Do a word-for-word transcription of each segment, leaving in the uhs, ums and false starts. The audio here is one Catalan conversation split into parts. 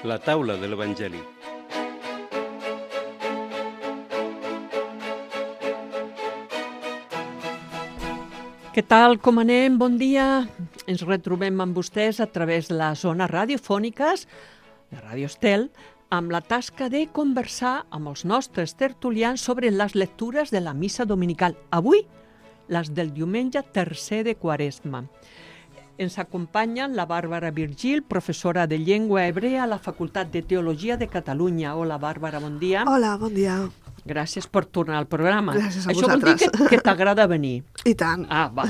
La taula de l'Evangeli. Què tal, com anem? Bon dia. Ens retrobem amb vostès a través de les zones radiofòniques de Ràdio Estel amb la tasca de conversar amb els nostres tertulians sobre les lectures de la missa dominical. Avui, les del diumenge tercer de Quaresma. Ens acompanyen la Bàrbara Virgil, professora de llengua hebrea a la Facultat de Teologia de Catalunya. Hola, Bàrbara, bon dia. Hola, bon dia. Gràcies per tornar al programa. Gràcies a Això vosaltres. vol dir que, que t'agrada venir. I tant. Ah, va.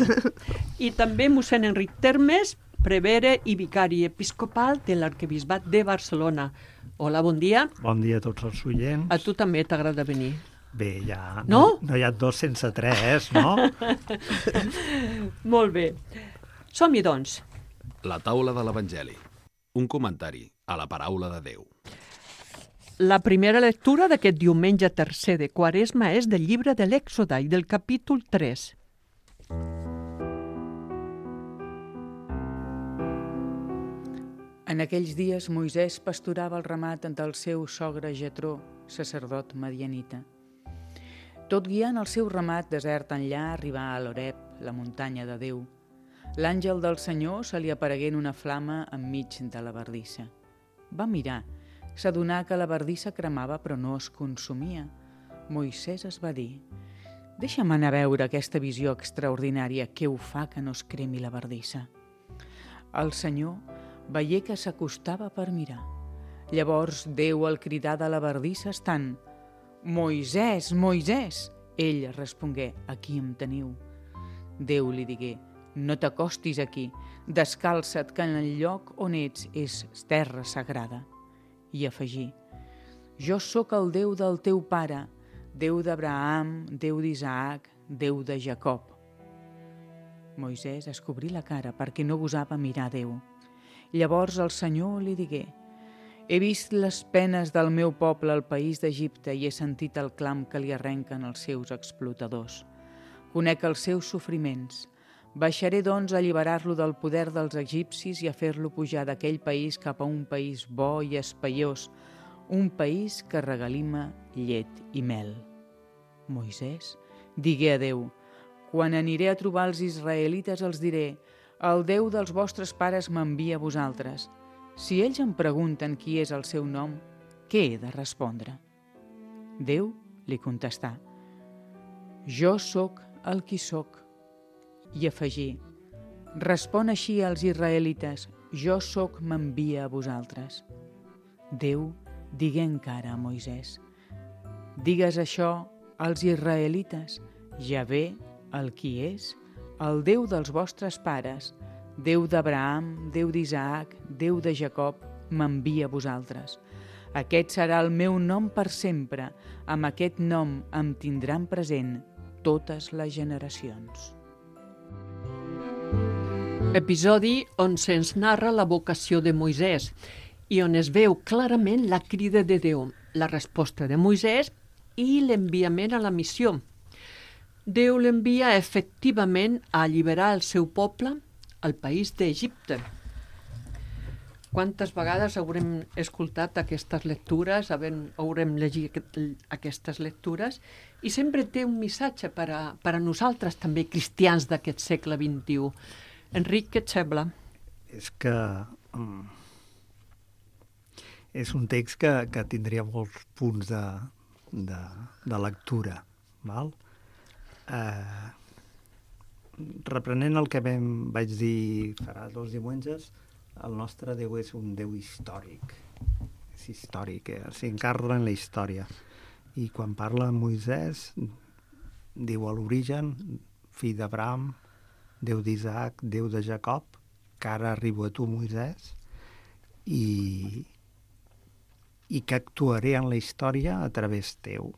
I també mossèn Enric Termes, prevere i vicari episcopal de l'Arquebisbat de Barcelona. Hola, bon dia. Bon dia a tots els oients. A tu també t'agrada venir. Bé, ja... No? No hi ha dos sense tres, no? Molt bé. Som-hi, doncs. La taula de l'Evangeli. Un comentari a la paraula de Déu. La primera lectura d'aquest diumenge tercer de Quaresma és del llibre de l'Èxode i del capítol tres. En aquells dies Moisès pasturava el ramat del seu sogre Jetró, sacerdot madianita. Tot guiant el seu ramat desert enllà arribà a l'Oreb, la muntanya de Déu. L'àngel del Senyor se li aparegué en una flama enmig de la bardissa. Va mirar, s'adonà que la bardissa cremava però no es consumia. Moisès es va dir: «Deixa'm anar a veure aquesta visió extraordinària, què ho fa que no es cremi la bardissa». El Senyor veié que s'acostava per mirar. Llavors Déu el cridà de la bardissa estant: «Moisès, Moisès!» Ell respongué: «Aquí em teniu». Déu li digué: «No t'acostis aquí, descalça't que en el lloc on ets és terra sagrada». I afegí: «Jo sóc el Déu del teu pare, Déu d'Abraham, Déu d'Isaac, Déu de Jacob». Moisès es cobrí la cara perquè no gosava mirar Déu. Llavors el Senyor li digué: «He vist les penes del meu poble al país d'Egipte i he sentit el clam que li arrenquen els seus explotadors. Conec els seus sofriments. Baixaré, doncs, a alliberar-lo del poder dels egipcis i a fer-lo pujar d'aquell país cap a un país bo i espaiós, un país que regalima llet i mel». Moisès digué a Déu: «Quan aniré a trobar els israelites els diré: el Déu dels vostres pares m'envia a vosaltres. Si ells em pregunten qui és el seu nom, què he de respondre?» Déu li contestà: «Jo sóc el qui sóc». I afegí: «Respon així als israelites: jo sóc m'envia a vosaltres». Déu digué encara a Moisès: «Digues això als israelites: Javé, el qui és, el Déu dels vostres pares, Déu d'Abraham, Déu d'Isaac, Déu de Jacob, m'envia a vosaltres. Aquest serà el meu nom per sempre, amb aquest nom em tindran present totes les generacions». Episodi on se'ns narra la vocació de Moisès i on es veu clarament la crida de Déu, la resposta de Moisès i l'enviament a la missió. Déu l'envia efectivament a alliberar el seu poble al país d'Egipte. Quantes vegades haurem escoltat aquestes lectures, haurem llegit aquestes lectures, i sempre té un missatge per a, per a nosaltres també, cristians d'aquest segle vint-i-u. Enric, què et sembla? És que um, és un text que, que tindria molts punts de, de, de lectura. Val? Eh, reprenent el que vam, vaig dir farà dos diumenges, el nostre Déu és un Déu històric. És històric, eh? S'encarna en la història. I quan parla amb Moisès, diu a l'origen, fill d'Abraham, Déu d'Isaac, Déu de Jacob, que ara arribo a tu, Moisès, i, i que actuaré en la història a través teu.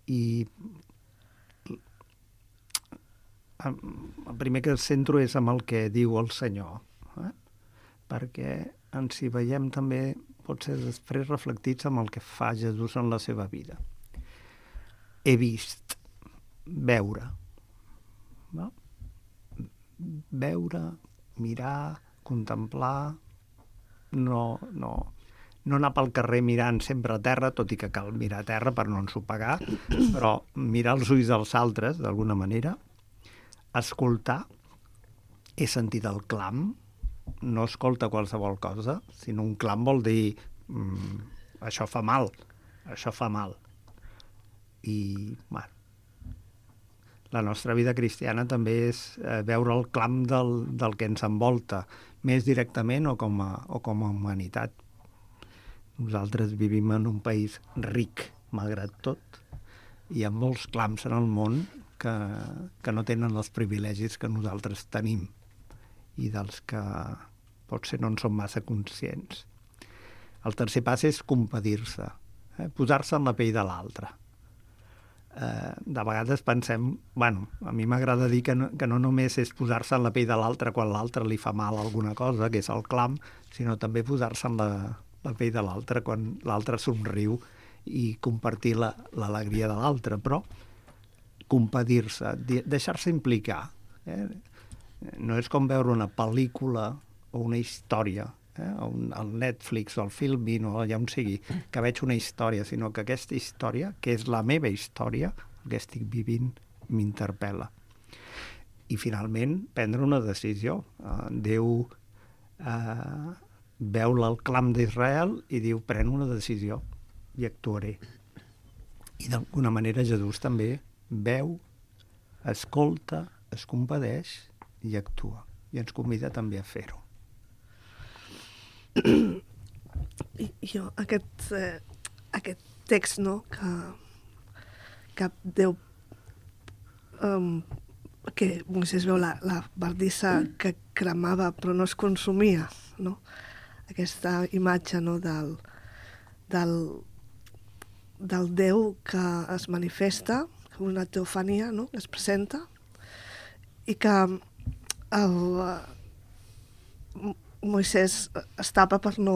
I el primer que centro és amb el que diu el Senyor, eh? Perquè ens hi veiem també, potser després reflectits amb el que fa Jesús en la seva vida. He vist, veure, no? Veure, mirar, contemplar, no, no, no anar pel carrer mirant sempre a terra, tot i que cal mirar a terra per no ensopegar, però mirar els ulls dels altres, d'alguna manera, escoltar, he sentit el clam, no escolta qualsevol cosa, sinó un clam vol dir mm, això fa mal, això fa mal. I, bueno, la nostra vida cristiana també és eh, veure el clam del, del que ens envolta, més directament o com a, o com a humanitat. Nosaltres vivim en un país ric, malgrat tot, i amb molts clams en el món que, que no tenen els privilegis que nosaltres tenim i dels que potser no en som massa conscients. El tercer pas és compadir-se, eh? posar-se en la pell de l'altre. Eh, de vegades pensem, bueno, a mi m'agrada dir que no, que no només és posar-se en la pell de l'altre quan l'altre li fa mal alguna cosa, que és el clam, sinó també posar-se en la, la pell de l'altre quan l'altre somriu i compartir l'alegria la, de l'altre, però compadir-se, deixar-se implicar. Eh? No és com veure una pel·lícula o una història, eh? un, el Netflix o el Filmin o allà on sigui, que veig una història, sinó que aquesta història, que és la meva història, el que estic vivint, m'interpel·la. I finalment, prendre una decisió. Uh, Déu uh, veu el clam d'Israel i diu, pren una decisió i actuaré. I d'alguna manera Jesús també veu, escolta, es compadeix i actua. I ens convida també a fer-ho. I jo, aquest, eh, aquest text, no?, que, que Déu, um, que Moisès veu la, la bardissa que cremava però no es consumia, no? Aquesta imatge, no?, del, del, del Déu que es manifesta, com una teofania, no?, que es presenta, i que el, uh, Moisès es tapa per no,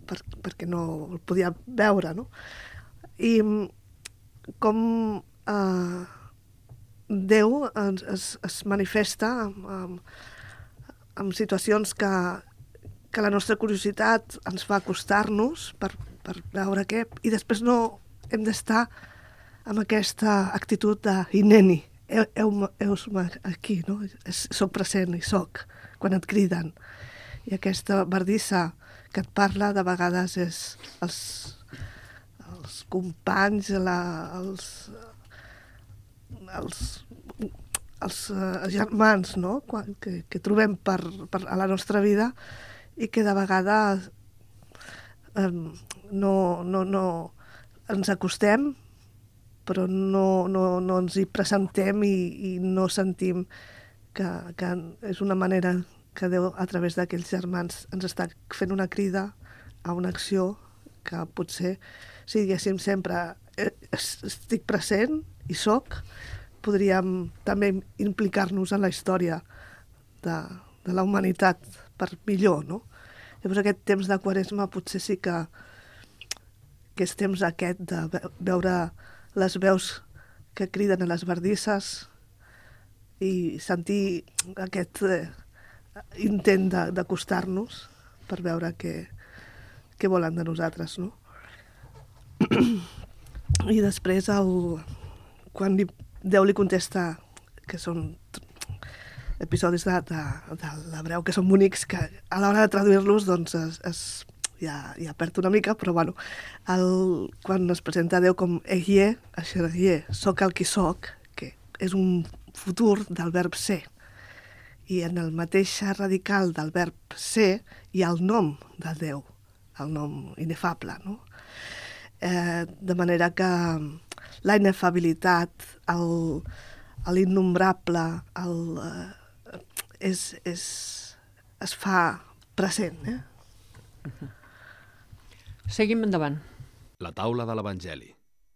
per, perquè no el podia veure, no? I com uh, Déu es, es, es manifesta amb, amb, amb situacions que, que la nostra curiositat ens fa acostar-nos per, per veure què, i després no hem d'estar amb aquesta actitud de «Hineni», heus-me aquí, no? Soc present i soc, quan et criden. I aquesta bardissa que et parla de vegades és els, els companys, la, els, els, els uh, germans, no?, quan, que, que trobem per, per a la nostra vida i que de vegades um, no, no, no ens acostem, però no, no, no ens hi presentem i, i no sentim que, que és una manera que Déu, a través d'aquells germans, ens està fent una crida a una acció que potser, si diguéssim sempre estic present i soc, podríem també implicar-nos en la història de, de la humanitat per millor, no? Llavors aquest temps de Quaresma potser sí que, que és temps aquest de veure les veus que criden a les bardisses i sentir aquest eh, intent d'acostar-nos per veure què, què volen de nosaltres, no? I després, el, quan li, Déu li contesta, que són episodis de, de, de l'hebreu que són bonics, que a l'hora de traduir-los doncs es, es Ja, ja perd una mica, però bueno, el, quan es presenta Déu com Ehyeh, Asher Ehyeh, soc el qui soc, que és un futur del verb ser. I en el mateix radical del verb ser hi ha el nom de Déu, el nom inefable, no? Eh, de manera que la inefabilitat, l'innombrable, el, eh, és, és, es fa present, eh? Uh-huh. Seguim endavant. La taula de l'Evangeli.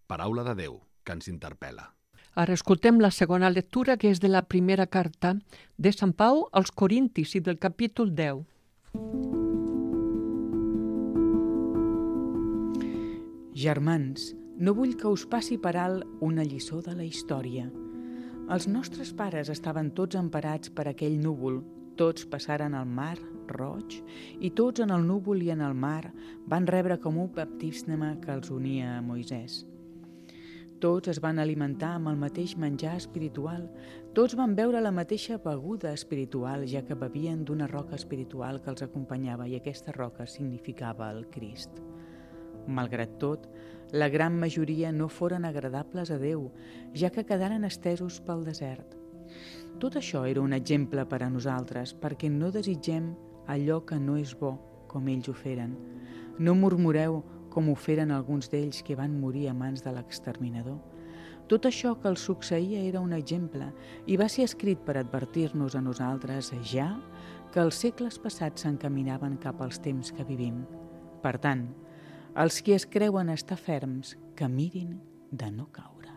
Paraula de Déu, que ens interpel·la. Ara escoltem la segona lectura, que és de la primera carta de Sant Pau als Corintis i del capítol deu. Germans, no vull que us passi per alt una lliçó de la història. Els nostres pares estaven tots emparats per aquell núvol, tots passaren el mar Roig i tots en el núvol i en el mar van rebre com un baptisme que els unia a Moisès. Tots es van alimentar amb el mateix menjar espiritual, tots van beure la mateixa beguda espiritual, ja que bevien d'una roca espiritual que els acompanyava i aquesta roca significava el Crist. Malgrat tot, la gran majoria no foren agradables a Déu, ja que quedaren estesos pel desert. Tot això era un exemple per a nosaltres, perquè no desitgem allò que no és bo, com ells ho feren. No murmureu com ho feren alguns d'ells que van morir a mans de l'exterminador. Tot això que els succeïa era un exemple i va ser escrit per advertir-nos a nosaltres ja que els segles passats s'encaminaven cap als temps que vivim. Per tant, els qui es creuen estar ferms, que mirin de no caure.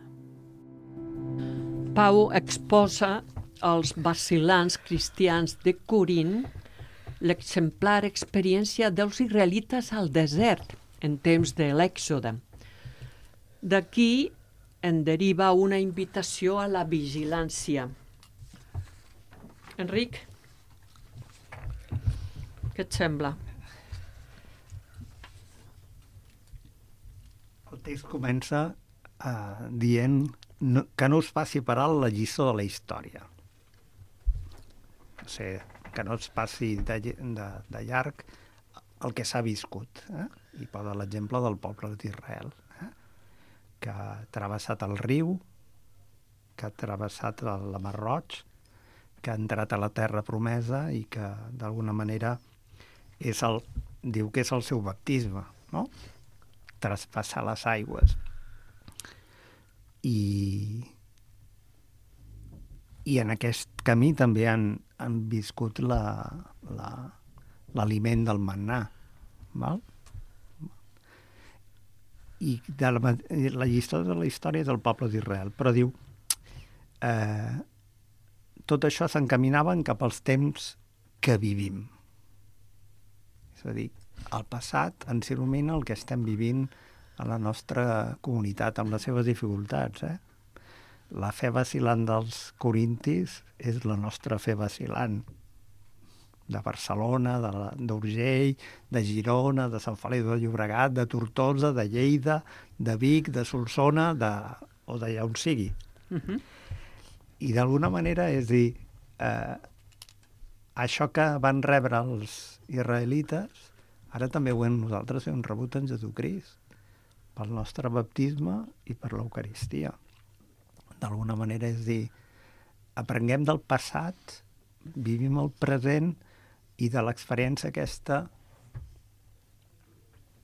Pau exposa als vacil·lants cristians de Corint l'exemplar experiència dels israelites al desert en temps de l'Èxode. D'aquí en deriva una invitació a la vigilància. Enric, què et sembla? El text comença uh, dient no, que no us passi per alt la lliçó de la història. O sigui, que no es passi de, de, de llarg el que s'ha viscut. Eh? I posa l'exemple del poble d'Israel, eh? que ha travessat el riu, que ha travessat el Mar Roig, que ha entrat a la terra promesa i que, d'alguna manera, és el, diu que és el seu baptisme, no? Traspassar les aigües. I, i en aquest camí també han, han viscut la, la, l'aliment del mannà, val? I de la, la llista de la història del poble d'Israel, però diu eh, tot això s'encaminaven cap als temps que vivim. És a dir, al passat ens il·lumina el que estem vivint a la nostra comunitat amb les seves dificultats. Eh? La fe vacil·lant dels corintis és la nostra fe vacil·lant de Barcelona, d'Urgell, de Girona, de Sant Feliu de Llobregat, de Tortosa, de Lleida, de Vic, de Solsona, de, o d'allà on sigui. Uh-huh. I d'alguna manera, és dir, eh, això que van rebre els israelites, ara també ho hem nosaltres hem rebut en Jesucrist, pel nostre baptisme i per l'Eucaristia. D'alguna manera, és dir, aprenguem del passat, vivim el present i de l'experiència aquesta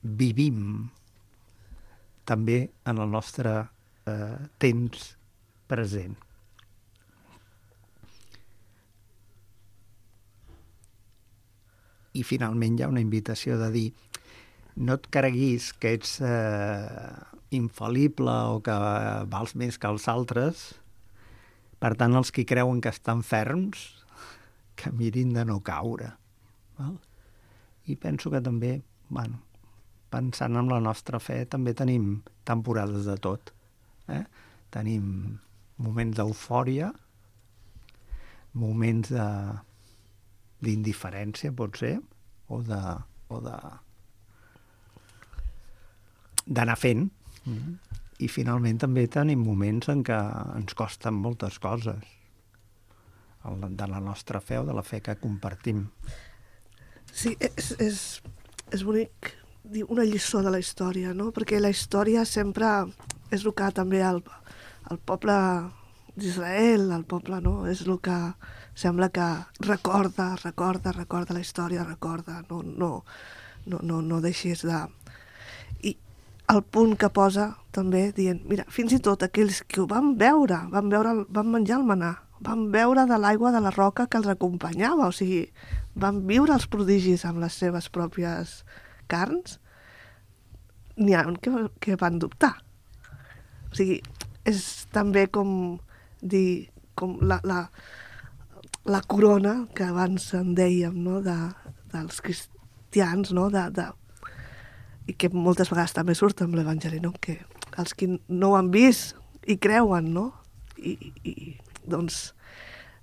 vivim també en el nostre eh, temps present. I finalment hi ha una invitació de dir no et creguis que ets eh, infal·lible o que vals més que els altres. Per tant, els que creuen que estan ferms, que mirin de no caure. Val? I penso que també, bueno, pensant en la nostra fe, també tenim temporades de tot. Eh? Tenim moments d'eufòria, moments de d'indiferència, pot ser, o de o de d'anar fent. Mm-hmm. I finalment també tenim moments en què ens costen moltes coses de la nostra fe o de la fe que compartim. Sí, és, és, és bonic dir una lliçó de la història, no? Perquè la història sempre és el que també el, el poble d'Israel, el poble, no? És el que sembla que recorda, recorda, recorda la història, recorda, no, no, no, no, no deixis de... I el punt que posa també dient, mira, fins i tot aquells que ho van veure, van, veure, van menjar el manà, van beure de l'aigua de la roca que els acompanyava, o sigui, van viure els prodigis amb les seves pròpies carns, n'hi ha que, que van dubtar. O sigui, és també com dir, com la, la, la corona que abans en dèiem, no?, de, dels cristians, no?, de, de, i que moltes vegades també surt amb l'Evangeli, no?, que els que no ho han vist i creuen, no?, i, i doncs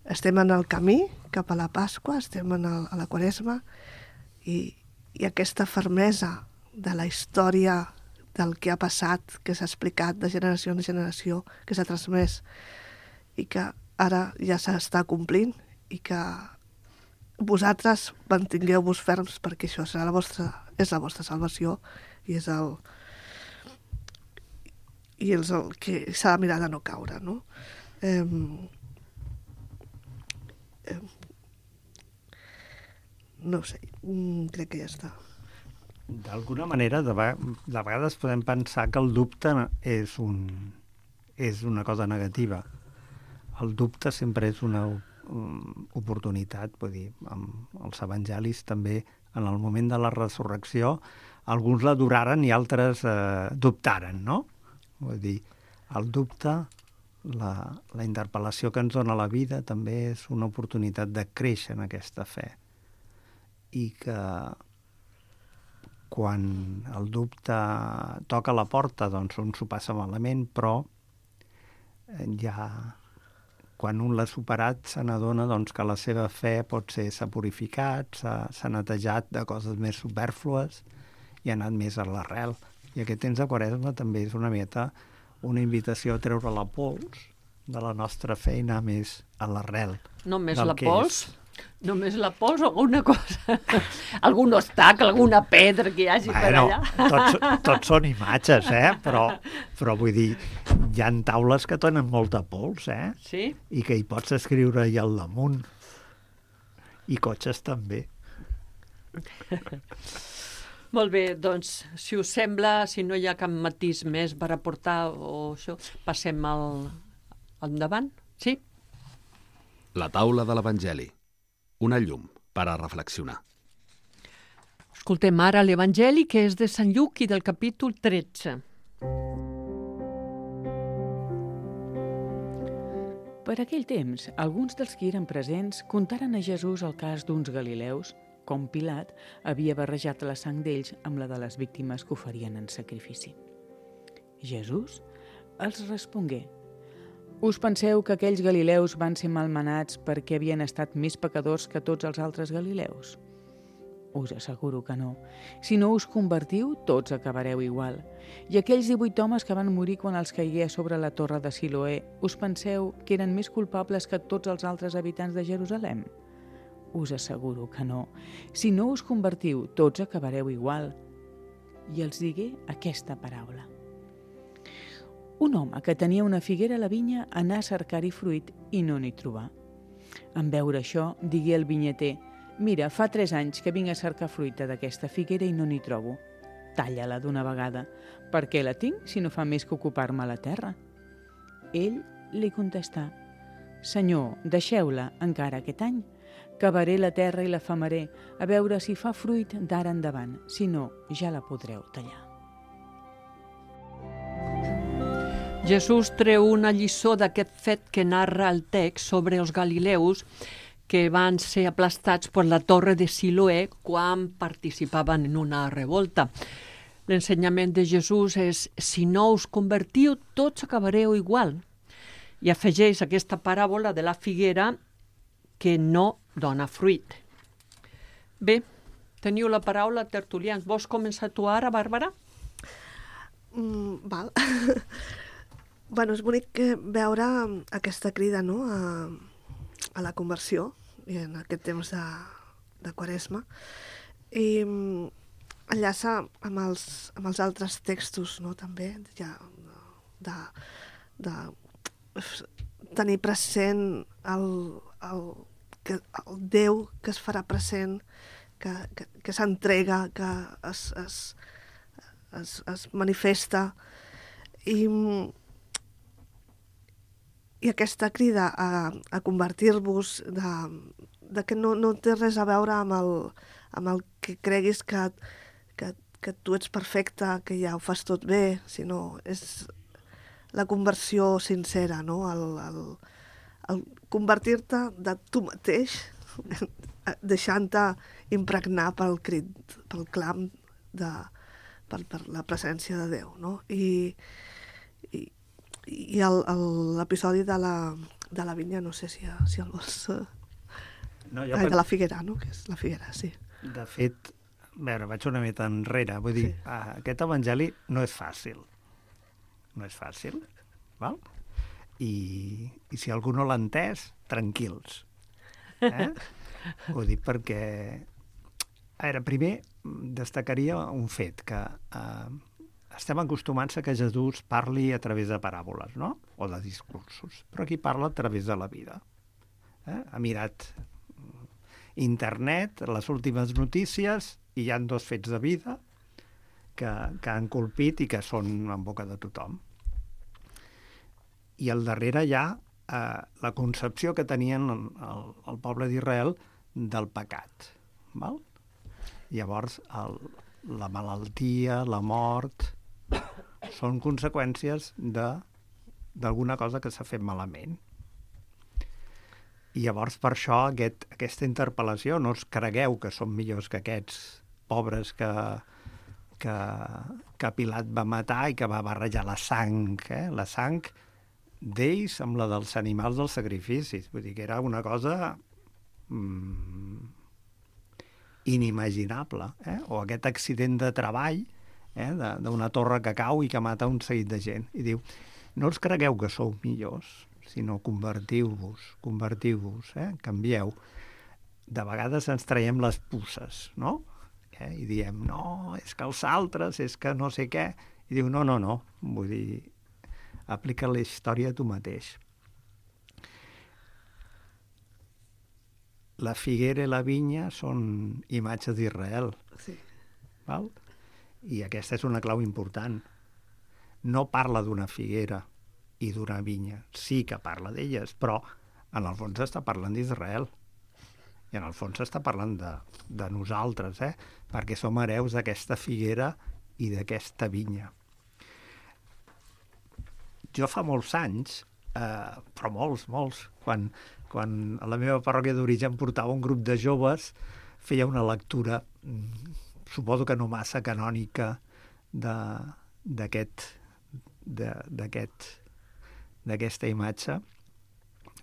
estem en el camí cap a la Pasqua, estem en el, a la Quaresma, i, i aquesta fermesa de la història del que ha passat, que s'ha explicat de generació en generació, que s'ha transmès i que ara ja s'està complint i que vosaltres mantingueu-vos ferms perquè això serà la vostra, és la vostra salvació i és el, i és el que s'ha de mirar de no caure, no? Eh, eh, no ho sé, crec que ja està. D'alguna manera, de, de vegades podem pensar que el dubte és, un, és una cosa negativa. El dubte sempre és una um, oportunitat, vull dir, amb els evangelis també, en el moment de la resurrecció, alguns l'adoraren i altres eh, dubtaren, no? Vull dir, el dubte, la, la interpel·lació que ens dona la vida, també és una oportunitat de créixer en aquesta fe. I que quan el dubte toca la porta, doncs un s'ho passa malament, però ja quan un l'ha superat se n'adona doncs, que la seva fe pot ser s'ha purificat, s'ha netejat de coses més supèrflues i ha anat més a l'arrel. I aquest temps de Quaresma també és una mica una invitació a treure la pols de la nostra fe i anar més a l'arrel. Només la pols? És. Només la pols o alguna cosa? Algun obstacle, alguna pedra que hi hagi bueno, per allà? Tots, tots són imatges, eh? Però, però vull dir, hi ha taules que tenen molta pols, eh? Sí? I que hi pots escriure i al damunt. I cotxes també. Molt bé, doncs, si us sembla, si no hi ha cap matís més per aportar o això, passem al, al endavant, sí? La taula de l'Evangeli. Una llum per a reflexionar. Escoltem ara l'Evangeli, que és de Sant Lluc i del capítol tretze. Per aquell temps, alguns dels que eren presents contaren a Jesús el cas d'uns galileus, com Pilat havia barrejat la sang d'ells amb la de les víctimes que oferien en sacrifici. Jesús els respongué: us penseu que aquells galileus van ser malmenats perquè havien estat més pecadors que tots els altres galileus? Us asseguro que no. Si no us convertiu, tots acabareu igual. I aquells divuit homes que van morir quan els caigué sobre la torre de Siloé, us penseu que eren més culpables que tots els altres habitants de Jerusalem? Us asseguro que no. Si no us convertiu, tots acabareu igual. I els digué aquesta paraula. Un home que tenia una figuera a la vinya anà a cercar-hi fruit i no n'hi trobà. En veure això, digué el vinyater: mira, fa tres anys que vinc a cercar fruita d'aquesta figuera i no n'hi trobo. Talla-la d'una vegada. Per què la tinc si no fa més que ocupar-me la terra? Ell li contestà: Senyor, deixeu-la encara aquest any. Cavaré la terra i la famaré, a veure si fa fruit d'ara endavant. Si no, ja la podreu tallar. Jesús treu una lliçó d'aquest fet que narra el text sobre els galileus que van ser aplastats per la torre de Siloé quan participaven en una revolta. L'ensenyament de Jesús és: si no us convertiu, tots acabareu igual. I afegeix aquesta paràbola de la figuera que no dona fruit. Bé, teniu la paraula, tertulians. Vols començar tu ara, Bàrbara? Mm, val. Bueno, és bonic veure aquesta crida, no?, a, a la conversió i en aquest temps de, de Quaresma, i enllaça amb els, amb els altres textos, no?, també, ja, de, de tenir present el, el, que, el Déu que es farà present, que, que, que s'entrega, que es, es, es, es manifesta, i I aquesta crida a, a convertir-vos, de, de que no, no té res a veure amb el, amb el que creguis que, que, que tu ets perfecte, que ja ho fas tot bé, sinó és la conversió sincera, no? El, el, el convertir-te de tu mateix, deixant-te impregnar pel crit, pel clam, de, per, per la presència de Déu, no? I, i I l'episodi de la de la vinya, no sé si, si el vols... Eh... No, jo Ai, pen... de la figuera, no? Que és la figuera, sí. De fet, a veure, vaig una mica enrere. Vull dir, Sí. aquest evangeli no és fàcil. No és fàcil, val? I, i si algú no l'ha entès, tranquils. Eh? Ho dic perquè... A veure, primer destacaria un fet, que eh, estem acostumats a que Jesús parli a través de paràboles, no? O de discursos. Però aquí parla a través de la vida. Eh? Ha mirat internet, les últimes notícies, i hi ha dos fets de vida que, que han colpit i que són en boca de tothom. I al darrere hi ha eh, la concepció que tenien el, el, el poble d'Israel del pecat. Val? Llavors, el, la malaltia, la mort, són conseqüències d'alguna cosa que s'ha fet malament. I llavors, per això, aquest, aquesta interpel·lació, no us cregueu que som millors que aquests pobres que, que, que Pilat va matar i que va barrejar la sang, eh? La sang d'ells amb la dels animals dels sacrificis. Vull dir que era una cosa mm, inimaginable. Eh? O aquest accident de treball eh? d'una torre que cau i que mata un seguit de gent. I diu, no us cregueu que sou millors, sinó convertiu-vos, convertiu-vos, eh? Canvieu. De vegades ens traiem les puces, no? Eh? I diem, no, és que els altres, és que no sé què. I diu, no, no, no, vull dir, aplica la història a tu mateix. La figuera i la vinya són imatges d'Israel. Sí. Val? I aquesta és una clau important. No parla d'una figuera i d'una vinya. Sí que parla d'elles, però en el fons està parlant d'Israel. I en el fons està parlant de, de nosaltres, eh? Perquè som hereus d'aquesta figuera i d'aquesta vinya. Jo fa molts anys, eh, però molts, molts, quan, quan a la meva parròquia d'origen portava un grup de joves, feia una lectura, suposo que no massa canònica, d'aquest d'aquest d'aquesta imatge,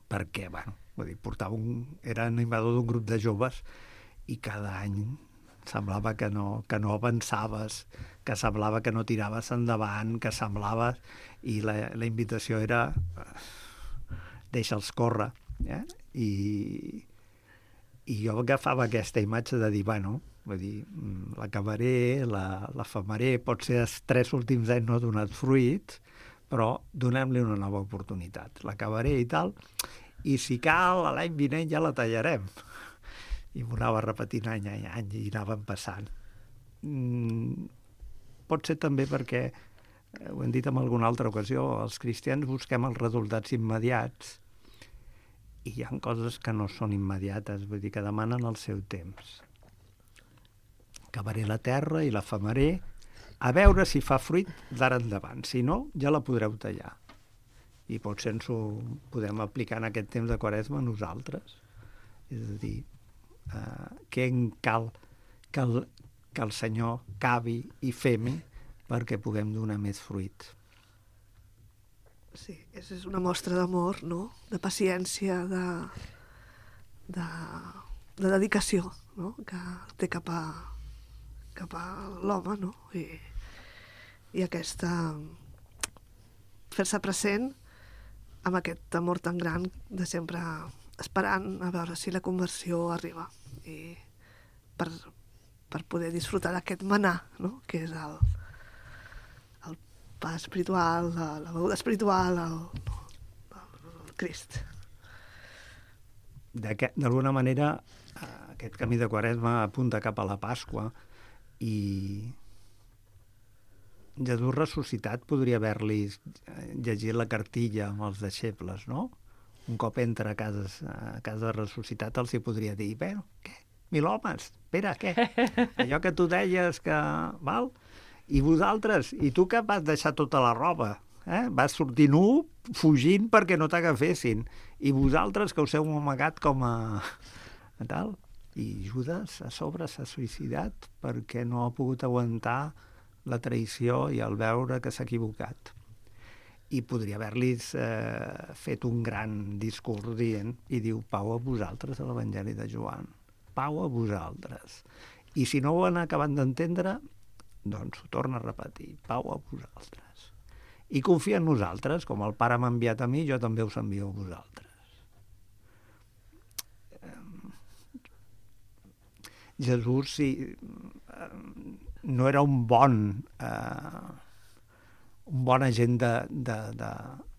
perquè, bueno, vull dir, portava un, era animador d'un grup de joves i cada any semblava que no, que no avançaves, que semblava que no tiraves endavant, que semblava... I la, la invitació era deixa'ls córrer. Eh? I, I jo agafava aquesta imatge de dir, bueno, vull dir, l'acabaré, la, la famaré, potser els tres últims anys no ha donat fruit, però donem-li una nova oportunitat. L'acabaré i tal, i si cal, l'any vinent ja la tallarem. I m'ho anava repetint any a any i anàvem passant. Mm, pot ser també perquè, ho hem dit en alguna altra ocasió, els cristians busquem els resultats immediats i hi ha coses que no són immediates, vull dir que demanen el seu temps. Acabaré la terra i la famaré, a veure si fa fruit d'ara endavant. Si no, ja la podreu tallar. I potser ens ho podem aplicar en aquest temps de Quaresma a nosaltres. És a dir, eh, què en cal que el, que el Senyor cavi i femi perquè puguem donar més fruit. Sí, és una mostra d'amor, no? De paciència, de, de, de dedicació, no? Que té cap a, cap a l'home, no? I, i aquesta... fer-se present amb aquest amor tan gran de sempre esperant a veure si la conversió arriba i per, per poder disfrutar d'aquest manà, no? Que és el, el pa espiritual, la, la beguda espiritual, el, el, el Crist. D'alguna manera, aquest camí de Quaresma apunta cap a la Pasqua i Jesús ressuscitat podria haver-li llegit la cartilla amb els deixebles, no? Un cop entra a casa, a casa ressuscitat els hi podria dir, bueno, què? Mil homes, espera, què? Allò que tu deies que... Val? I vosaltres? I tu que vas deixar tota la roba? Eh? Vas sortir nu, fugint perquè no t'agafessin. I vosaltres que us heu amagat com a... tal? I Judas a sobre s'ha suïcidat perquè no ha pogut aguantar la traïció i el veure que s'ha equivocat. i podria haver-los eh, fet un gran discurs dient, i diu, pau a vosaltres a l'Evangeli de Joan, pau a vosaltres. I si no ho han acabat d'entendre, doncs ho torna a repetir, pau a vosaltres. I confia en nosaltres, com el Pare m'ha enviat a mi, jo també us envio a vosaltres. Jesús sí, no era un bon eh, un bon agent de, de, de,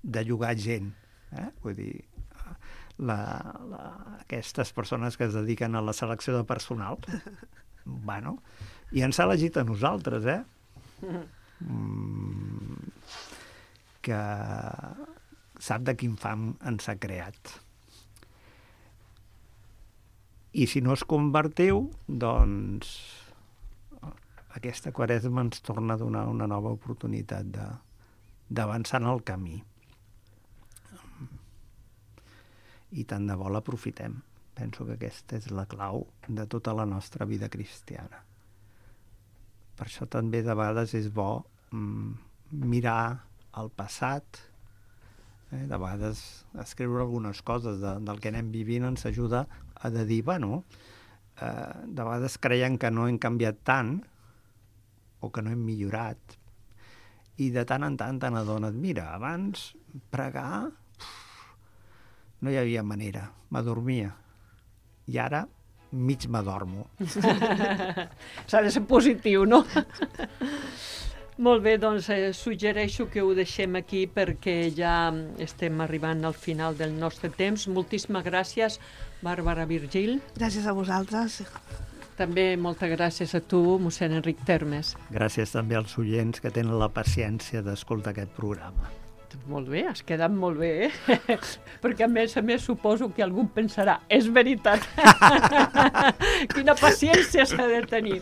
de llogar gent. Eh? Vull dir, la, la, aquestes persones que es dediquen a la selecció de personal, bueno, i ens ha elegit a nosaltres, eh? Mm, que sap de quin fam ens ha creat. I si no es convertiu, doncs aquesta Quaresma ens torna a donar una nova oportunitat de, d'avançar en el camí. I tant de bo l'aprofitem. Penso que aquesta és la clau de tota la nostra vida cristiana. Per això també de vegades és bo mm, mirar el passat, eh? De vegades escriure algunes coses de, del que anem vivint ens ajuda a de dir, bueno, eh, de vegades creiem que no hem canviat tant o que no hem millorat, i de tant en tant te n'adones, mira, abans pregar uf, no hi havia manera, m'adormia, i ara mig m'adormo. S'ha de ser positiu, no? Molt bé, doncs eh, suggereixo que ho deixem aquí perquè ja estem arribant al final del nostre temps. Moltíssimes gràcies, Bàrbara Virgili. Gràcies a vosaltres. També moltes gràcies a tu, mossèn Enric Termes. Gràcies també als oients que tenen la paciència d'escoltar aquest programa. Molt bé, has quedat molt bé, eh? Perquè a més a més suposo que algú pensarà, és veritat. Quina paciència s'ha de tenir.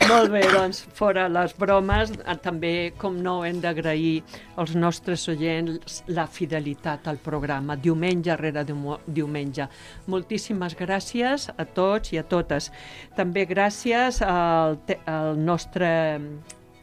Molt bé, doncs, fora les bromes, també, com no, hem d'agrair als nostres oients la fidelitat al programa, diumenge rere diumenge. Moltíssimes gràcies a tots i a totes. També gràcies al, te- al nostre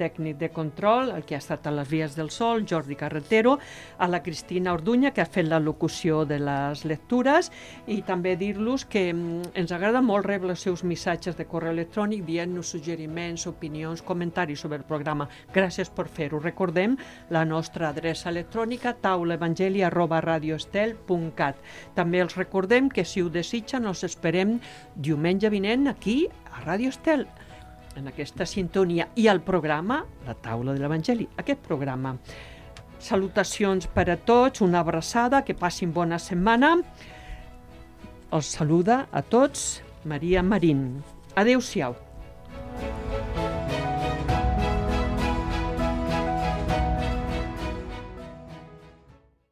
tècnic de control, el que ha estat a les vies del sol, Jordi Carretero, a la Cristina Orduña, que ha fet la locució de les lectures, i també dir-los que ens agrada molt rebre els seus missatges de correu electrònic dient-nos suggeriments, opinions, comentaris sobre el programa. Gràcies per fer-ho. Recordem la nostra adreça electrònica taulaevangeli arroba radioestel punt cat. També els recordem que si ho desitgen els esperem diumenge vinent aquí a Radio Estel, en aquesta sintonia, i el programa La Taula de l'Evangeli, aquest programa. Salutacions per a tots, una abraçada, que passin bona setmana. Els saluda a tots Maria Marín. Adéu-siau.